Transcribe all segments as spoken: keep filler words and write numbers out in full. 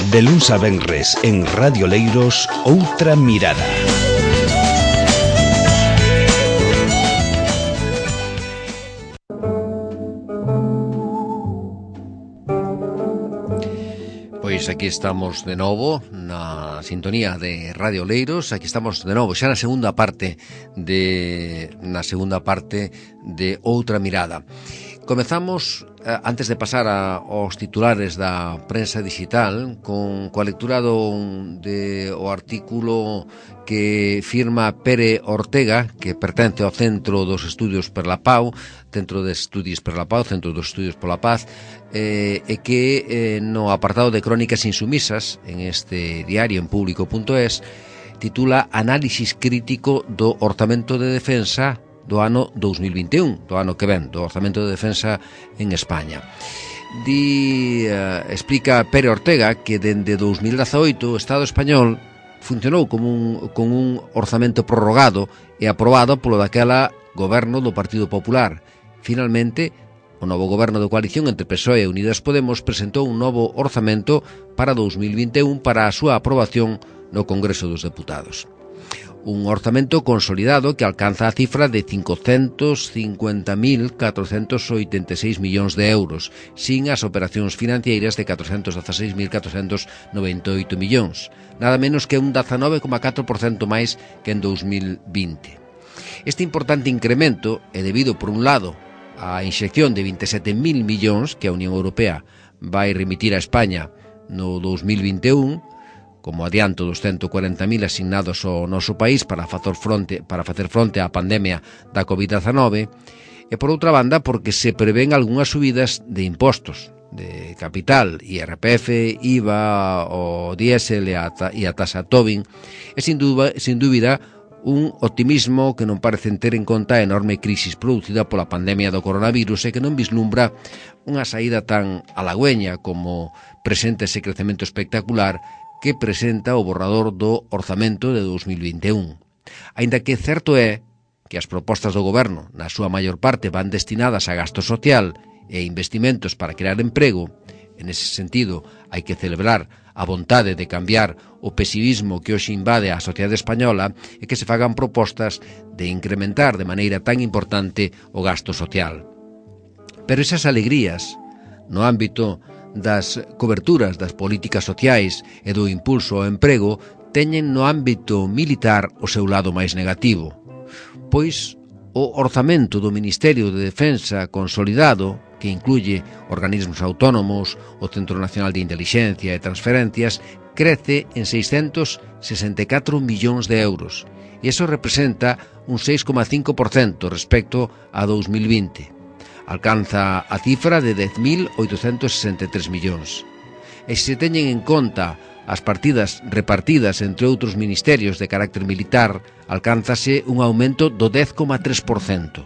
De luns a venres en Radio Leiros, Outra Mirada. Pois aquí estamos de novo na sintonía de Radio Leiros. Aquí estamos de novo xa na segunda parte de na segunda parte de Outra Mirada. Comezamos, eh, antes de pasar a, aos titulares da prensa digital, con coa lectura do, de, o artículo que firma Pere Ortega, que pertence ao Centro dos Estudios per la Pau, Centro de Estudios per la Pau, Centro dos Estudios pola Paz, eh, e que eh, no apartado de Crónicas Insumisas, en este diario en público punto es, titula Análisis crítico do orzamento de defensa do ano dous mil vinte e un, do ano que ven, do orzamento de defensa en España. Di, uh, explica Pere Ortega que dende dous mil dezaoito o Estado español funcionou como un, con un orzamento prorrogado e aprobado polo daquela goberno do Partido Popular. Finalmente, o novo goberno de coalición entre P S O E e Unidas Podemos presentou un novo orzamento para dous mil vinte e un para a súa aprobación no Congreso dos Deputados. Un orzamento consolidado que alcanza a cifra de cincocentos cincuenta mil catrocentos oitenta e seis millóns de euros, sin as operacións financeiras de catrocentos dezaseis mil catrocentos noventa e oito millóns, nada menos que un dezanove coma catro por cento máis que en dous mil vinte. Este importante incremento é debido, por un lado, á inxección de vinte e sete mil millóns que a Unión Europea vai remitir a España no dous mil vinte e un, como adianto dos ciento cuarenta mil asignados ao noso país para facer fronte, para facer fronte á pandemia da covid dezanove, e por outra banda porque se prevén algunhas subidas de impostos, de capital, I R P F, I V A, o diésel e a, e a tasa Tobin, e sin dúbida, sin dúbida un optimismo que non parece ter en conta a enorme crisis producida pola pandemia do coronavirus e que non vislumbra unha saída tan halagüeña como presenta ese crecemento espectacular que presenta o borrador do orzamento de dous mil vinte e un. Aínda que certo é que as propostas do goberno, na súa maior parte, van destinadas a gasto social e investimentos para crear emprego, en ese sentido hai que celebrar a vontade de cambiar o pesimismo que hoxe invade a sociedade española e que se fagan propostas de incrementar de maneira tan importante o gasto social. Pero esas alegrías, no ámbito das coberturas das políticas sociais e do impulso ao emprego, teñen no ámbito militar o seu lado máis negativo, pois o orzamento do Ministerio de Defensa consolidado, que incluye organismos autónomos, o Centro Nacional de Intelixencia e Transferencias, crece en seiscentos sesenta e catro millóns de euros, e iso representa un seis coma cinco por cento respecto a dous mil vinte. Alcanza a cifra de dez mil oitocentos sesenta e tres millóns. E se teñen en conta as partidas repartidas entre outros ministerios de carácter militar, alcánzase un aumento do dez coma tres por cento.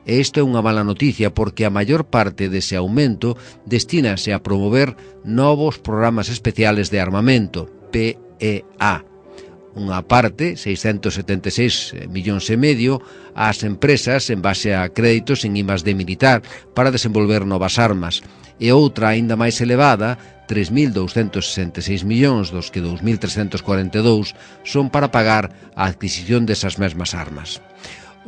E isto é unha mala noticia porque a maior parte dese aumento destínase a promover novos programas especiales de armamento, P E A. Unha parte, seiscentos setenta e seis millóns e medio, ás empresas en base a créditos en I más D militar para desenvolver novas armas, e outra aínda máis elevada, tres mil douscentos sesenta e seis millóns, dos que dous mil trescentos cuarenta e dous son para pagar a adquisición desas mesmas armas.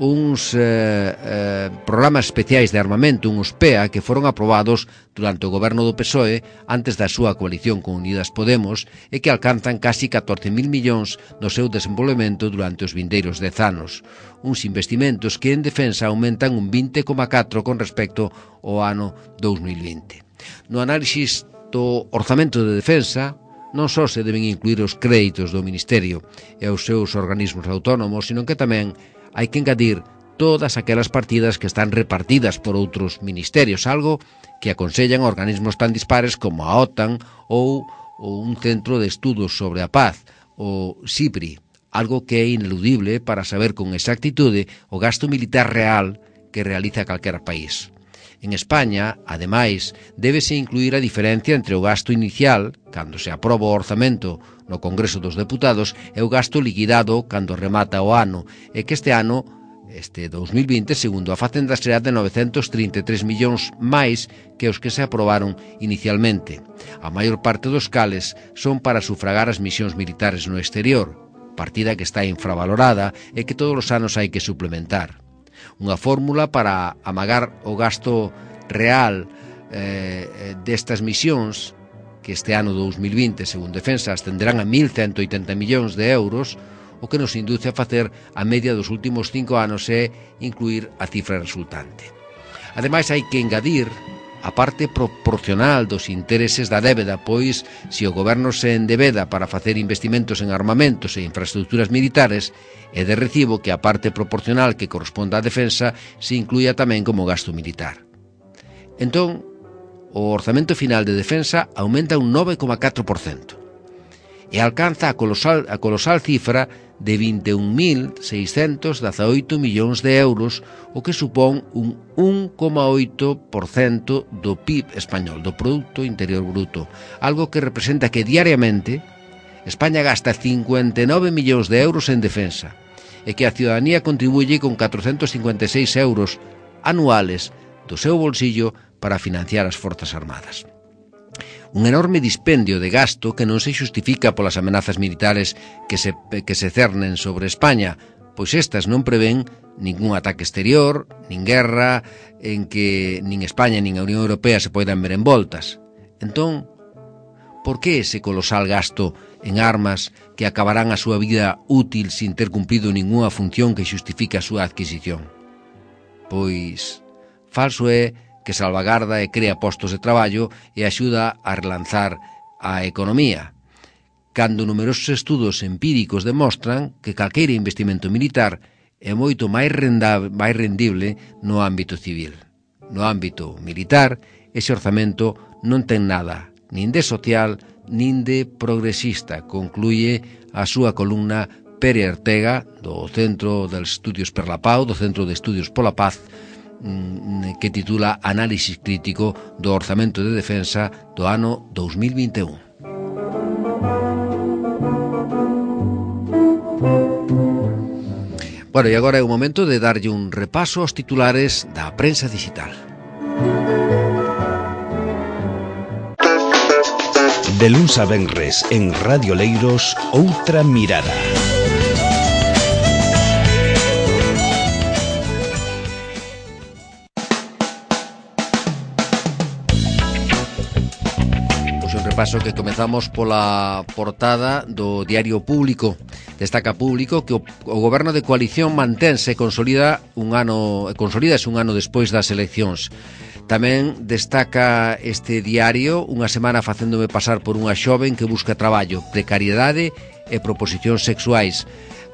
Uns eh, eh, programas especiais de armamento, uns P E A, que foron aprobados durante o goberno do P S O E antes da súa coalición con Unidas Podemos e que alcanzan casi catorce mil millóns no seu desenvolvemento durante os vindeiros dez anos. Uns investimentos que en defensa aumentan un vinte coma catro con respecto ao ano dous mil vinte. No análisis do orzamento de defensa, non só se deben incluir os créditos do Ministerio e os seus organismos autónomos, sino que tamén hai que engadir todas aquelas partidas que están repartidas por outros ministerios, algo que aconsellan organismos tan dispares como a OTAN ou, ou un centro de estudos sobre a paz, o SIPRI, algo que é ineludible para saber con exactitude o gasto militar real que realiza calquera país. En España, ademais, débese incluir a diferencia entre o gasto inicial, cando se aproba o orzamento no Congreso dos Deputados, e o gasto liquidado cando remata o ano, e que este ano Este dous mil vinte, segundo a Facenda, será de novecentos trinta e tres millóns máis que os que se aprobaron inicialmente. A maior parte dos cales son para sufragar as misións militares no exterior, partida que está infravalorada e que todos os anos hai que suplementar. Unha fórmula para amagar o gasto real eh, destas misións, que este ano dous mil vinte, según Defensa, ascenderán a mil ciento oitenta millóns de euros, o que nos induce a facer a media dos últimos cinco anos e incluir a cifra resultante. Ademais, hai que engadir a parte proporcional dos intereses da débeda, pois, se o goberno se endebeda para facer investimentos en armamentos e infraestructuras militares, é de recibo que a parte proporcional que corresponda á defensa se incluya tamén como gasto militar. Entón, o orzamento final de defensa aumenta un nove coma catro por cento e alcanza a colosal, a colosal cifra de vinte e un mil seiscentos dezaoito millóns de euros, o que supón un un coma oito por cento do P I B español, do Produto Interior Bruto, algo que representa que diariamente España gasta cincuenta e nove millóns de euros en defensa e que a ciudadanía contribuye con catrocentos cincuenta e seis euros anuales do seu bolsillo para financiar as Forzas Armadas. Un enorme dispendio de gasto que non se xustifica polas amenazas militares que se, que se cernen sobre España, pois estas non prevén ningún ataque exterior, nin guerra, en que nin España nin a Unión Europea se poidan ver envoltas. Entón, por que ese colosal gasto en armas que acabarán a súa vida útil sin ter cumprido ningunha función que xustifique a súa adquisición? Pois, falso é que salvagarda e crea postos de traballo e axuda a relanzar a economía, cando numerosos estudos empíricos demostran que calqueira investimento militar é moito máis, rendable, máis rendible no ámbito civil. No ámbito militar, ese orzamento non ten nada, nin de social, nin de progresista, concluye a súa columna Pere Ortega, do Centro de Estudios per la Pau, do Centro de Estudios pola Paz, que titula Análisis crítico do orzamento de defensa do ano dous mil vinte e un. Bueno, e agora é o momento de darlle un repaso aos titulares da prensa digital. De luns a venres en Radio Leiros, Outra Mirada. Paso que comezamos pola portada do Diario Público. Destaca Público que o, o goberno de coalición mantense e consolida un ano, consolídase un ano despois das eleccións. Tamén destaca este diario unha semana facéndome pasar por unha xoven que busca traballo, precariedade e proposicións sexuais.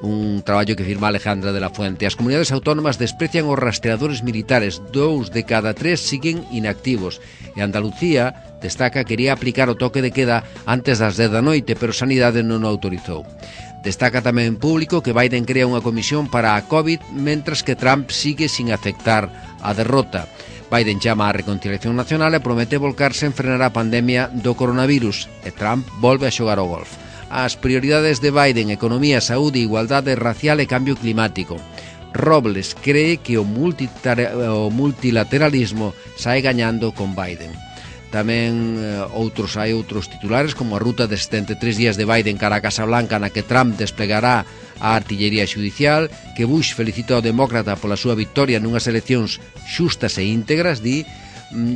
Un traballo que firma Alejandra de la Fuente. As comunidades autónomas desprecian os rastreadores militares, dous de cada tres siguen inactivos. E Andalucía destaca que quería aplicar o toque de queda antes das dez da noite, pero Sanidade non o autorizou. Destaca tamén Público que Biden crea unha comisión para a COVID, mentras que Trump sigue sin aceptar a derrota. Biden chama á reconciliación nacional e promete volcarse en frenar a pandemia do coronavirus, e Trump volve a xogar ao golf. As prioridades de Biden: economía, saúde, igualdade racial e cambio climático. Robles cree que o, o multilateralismo sae gañando con Biden. Tamén eh, outros hai outros titulares, como a ruta de setenta e tres días de Biden cara a Casa Blanca, na que Trump desplegará a artillería xudicial, que Bush felicita ao demócrata pola súa victoria nunhas eleccións xustas e íntegras, di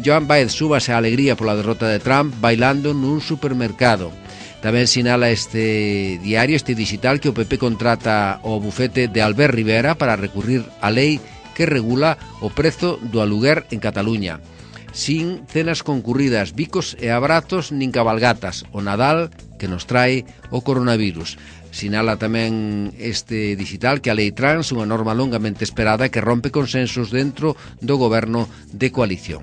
Joan Baez súbase a alegría pola derrota de Trump bailando nun supermercado. Tamén sinala este diario, este digital, que o P P contrata o bufete de Albert Rivera para recurrir á lei que regula o prezo do aluguer en Cataluña. Sin cenas concurridas, bicos e abrazos nin cabalgatas. O Nadal que nos trae o coronavirus. Sinala tamén este digital que a lei trans, unha norma longamente esperada que rompe consensos dentro do goberno de coalición.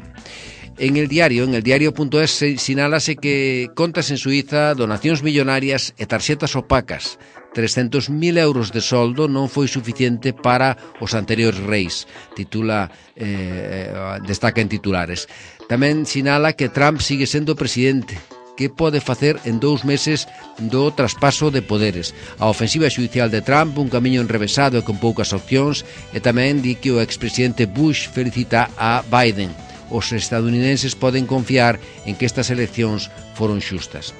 En el diario, en el diario.es, sinálase que contas en Suiza, donacións millonarias e tarxetas opacas. trescentos mil euros de soldo non foi suficiente para os anteriores reis, titula, eh, destaca en titulares. Tamén sinala que Trump sigue sendo presidente, que pode facer en dous meses do traspaso de poderes. A ofensiva xudicial de Trump, un camiño enrevesado e con poucas opcións, e tamén di que o expresidente Bush felicita a Biden. Os estadounidenses poden confiar en que estas eleccións foron xustas.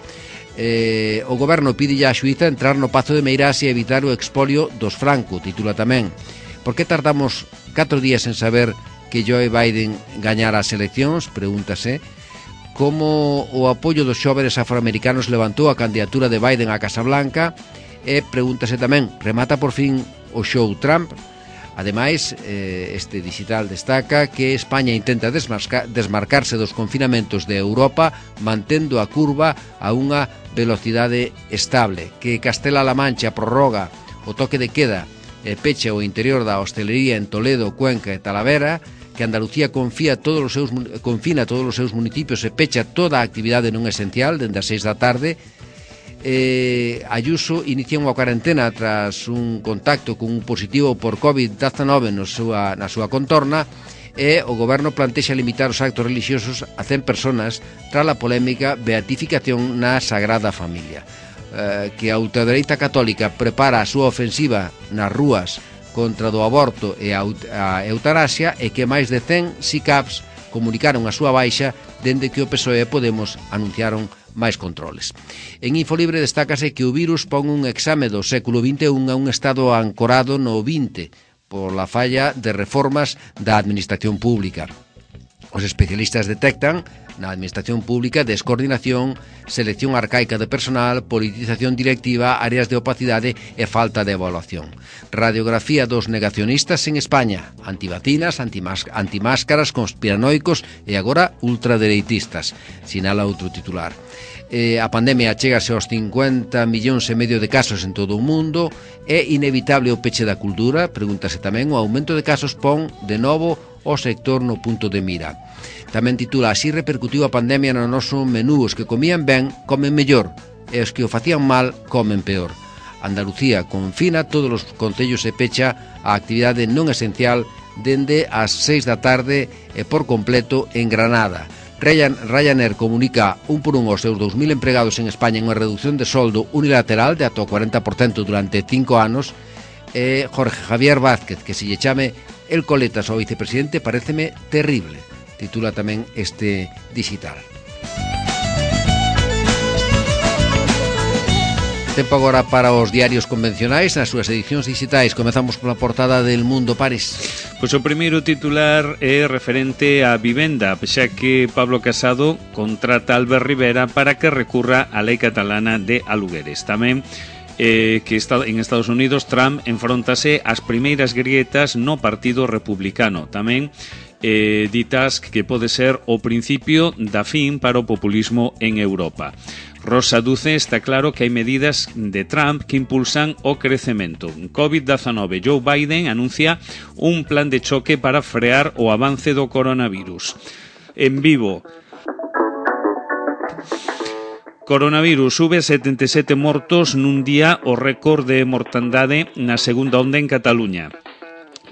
Eh, o goberno pide á xuíza entrar no Pazo de Meirás e evitar o expolio dos Franco, titula tamén. Por que tardamos catro días en saber que Joe Biden gañara as eleccións? Pregúntase. Como o apoio dos xóvenes afroamericanos levantou a candidatura de Biden á Casa Blanca, e pregúntase tamén, remata por fin o show Trump? Ademais, este digital destaca que España intenta desmarcarse dos confinamentos de Europa mantendo a curva a unha velocidade estable, que Castela-La Mancha prorroga o toque de queda e pecha o interior da hostelería en Toledo, Cuenca e Talavera, que Andalucía confía todos os seus, confina todos os seus municipios e pecha toda a actividade non esencial dende as seis da tarde. Eh, Ayuso inicia unha cuarentena tras un contacto con un positivo por covid dezenove no súa, na súa contorna, e o goberno plantexa limitar os actos religiosos a cen personas tras a polémica beatificación na Sagrada Familia. Eh, que a ultradereita católica prepara a súa ofensiva nas rúas contra do aborto e a eutanasia, e que máis de cen S I C A Ps comunicaron a súa baixa dende que o P S O E e Podemos anunciaron máis controles. En Infolibre destácase que o virus pon un exame do século vinte e un a un estado ancorado no vinte por la falla de reformas da administración pública. Os especialistas detectan na administración pública descoordinación, selección arcaica de personal, politización directiva, áreas de opacidade e falta de evaluación. Radiografía dos negacionistas en España, antivacinas, antimáscaras, conspiranoicos e agora ultradereitistas, sinala outro titular. Eh, a pandemia chegase aos cincuenta millóns e medio de casos en todo o mundo. É inevitable o peche da cultura? Pregúntase tamén. O aumento de casos pon de novo o sector no punto de mira. Tamén titula: así repercutiu a pandemia no noso menú, os que comían ben comen mellor e os que o facían mal comen peor. Andalucía confina todos os concellos e pecha a actividade non esencial dende as seis da tarde e por completo en Granada. Ryanair comunica un por un aos seus dous mil empregados en España en unha reducción de soldo unilateral de ata o cuarenta por cento durante cinco anos. E Jorge Javier Vázquez, que se lle chame el coletas ao vicepresidente paréceme terrible, titula tamén este digital. Tempo agora para os diarios convencionais nas súas edicións digitais. Comezamos pola portada del Mundo, París. Pois o primeiro titular é referente á vivenda, xa que Pablo Casado contrata a Albert Rivera para que recurra á lei catalana de alugueres. Tamén eh, que está en Estados Unidos Trump enfrontase ás primeiras grietas no Partido Republicano. Tamén eh, ditas que pode ser o principio da fin para o populismo en Europa. Rosa Duce está claro que hai medidas de Trump que impulsan o crecemento. covid dezenove. Joe Biden anuncia un plan de choque para frear o avance do coronavirus. En Vivo. Coronavirus sube setenta e sete mortos nun día, o récord de mortandade na segunda onda en Cataluña.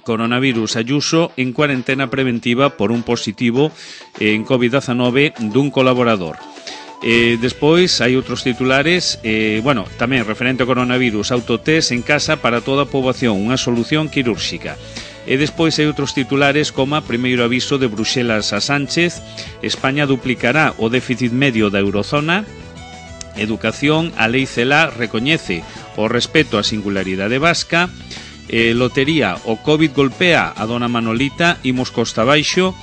Coronavirus, Ayuso en cuarentena preventiva por un positivo en covid dezenove dun colaborador. Eh, despois hai outros titulares, eh, bueno, tamén referente ao coronavirus, autotest en casa para toda a poboación, unha solución quirúrxica. E despois hai outros titulares como primeiro aviso de Bruxelas a Sánchez, España duplicará o déficit medio da eurozona. Educación, a lei CELA recoñece o respeto á singularidade vasca. eh, Lotería, o COVID golpea a dona Manolita, imos costa baixo.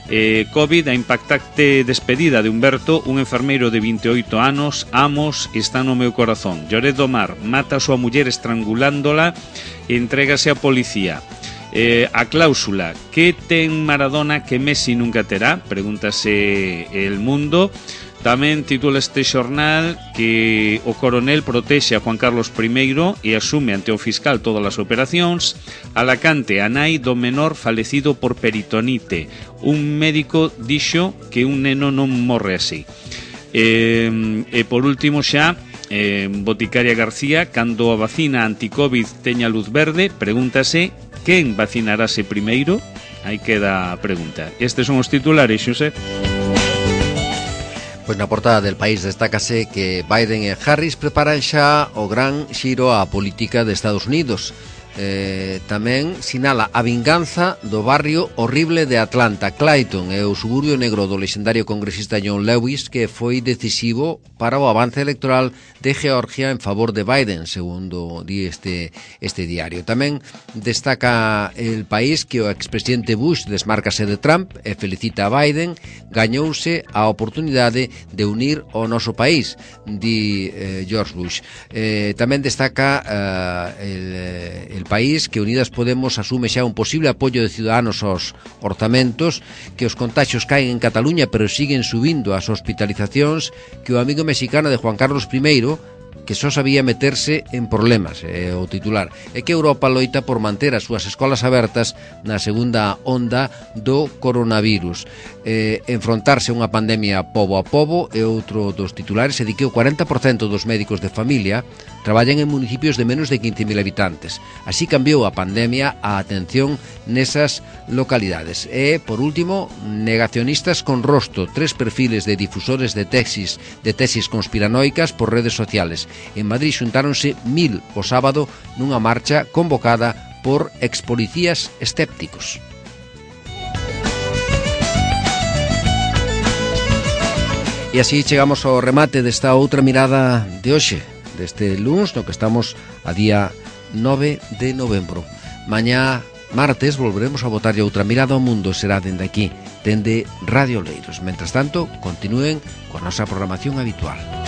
Eh, COVID, a impactante despedida de Humberto, un enfermeiro de vinte e oito anos. Amos, está no meu corazón. Lloret do Mar, mata a súa muller estrangulándola e entrégase á policía. Eh, a cláusula, que ten Maradona que Messi nunca terá? Pregúntase El Mundo. Tamén titula este xornal que o coronel protexe a Juan Carlos primeiro e asume ante o fiscal todas as operacións. Alacante, a nai do menor falecido por peritonite. Un médico dixo que un neno non morre así. E, e por último xa, eh, Boticaria García, cando a vacina anti-Covid teña luz verde, pregúntase quen vacinarase primeiro? Aí queda a pregunta. Estes son os titulares, Xosé. Pois na portada del País destácase que Biden e Harris preparan xa o gran xiro á política de Estados Unidos. Eh, tamén sinala a vinganza do barrio horrible de Atlanta. Clayton é o suburbio negro do lexendario congresista John Lewis, que foi decisivo para o avance electoral de Georgia en favor de Biden, segundo di este, este diario. Tamén destaca El País que o expresidente Bush desmárcase de Trump e felicita a Biden. Gañouse a oportunidade de unir o noso país, di eh, George Bush. Eh, tamén destaca eh, el, el El País que Unidas Podemos asume xa un posible apoio de Ciudadanos aos orzamentos, que os contaxios caen en Cataluña pero siguen subindo as hospitalizacións, que o amigo mexicano de Juan Carlos primeiro, que só sabía meterse en problemas, é o titular, e que Europa loita por manter as súas escolas abertas na segunda onda do coronavirus. Eh, enfrontarse a unha pandemia pobo a pobo é outro dos titulares, e di que o cuarenta por cento dos médicos de familia traballan en municipios de menos de quince mil habitantes. Así cambiou a pandemia a atención nesas localidades. E, por último, negacionistas con rosto, tres perfiles de difusores de tesis, de tesis conspiranoicas por redes sociales. En Madrid xuntáronse mil o sábado nunha marcha convocada por expolicías escépticos. E así chegamos ao remate desta outra mirada de hoxe, deste luns, no que estamos a día nove de novembro. Mañá, martes, volveremos a botarlle outra mirada ao mundo, será dende aquí, dende Radio Leiros. Mentras tanto, continúen coa nosa programación habitual.